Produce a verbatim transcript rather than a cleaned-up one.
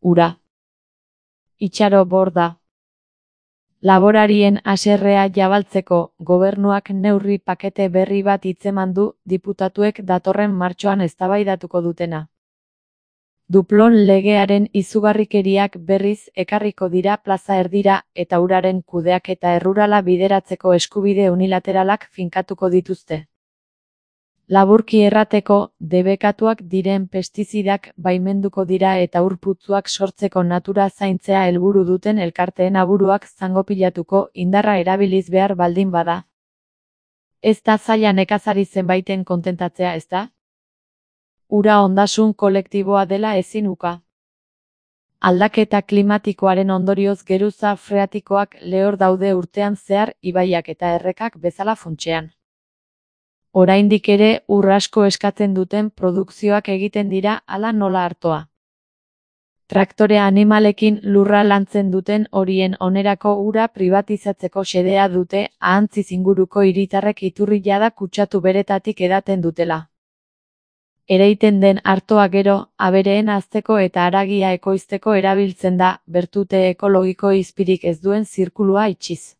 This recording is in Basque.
ura. Itxaro borda. Laborarien haserrea jabaltzeko, gobernuak neurri pakete berri bat hitzeman du, diputatuek datorren martxoan eztabaidatuko dutena. Duplon legearen izugarrikeriak berriz ekarriko dira plaza erdira eta uraren kudeaketa errurala bideratzeko eskubide unilateralak finkatuko dituzte. Laburki errateko, debekatuak diren pestizidak baimenduko dira eta ur putzuak sortzeko natura zaintzea helburu duten elkarteen aburuak zangopilatuko indarra erabiliz behar baldin bada. Ez da zaila nekazari zenbaiten kontentatzea, ezta? Ura ondasun kolektiboa dela ezin uka. Aldaketa klimatikoaren ondorioz geruza freatikoak lehor daude urtean zehar ibaiak eta errekak bezala funtsean. Oraindik ere ur asko eskatzen duten produkzioak egiten dira hala nola artoa. Traktore animalekin lurra lantzen duten horien onerako ura pribatizatzeko xedea dute ahantziz inguruko hiritarrek iturri jada kutsatu beretatik edaten dutela. Ereiten den artoa gero, abereen hazteko eta haragia ekoizteko erabiltzen da, bertute ekologiko izpirik ez duen zirkulua itxiz.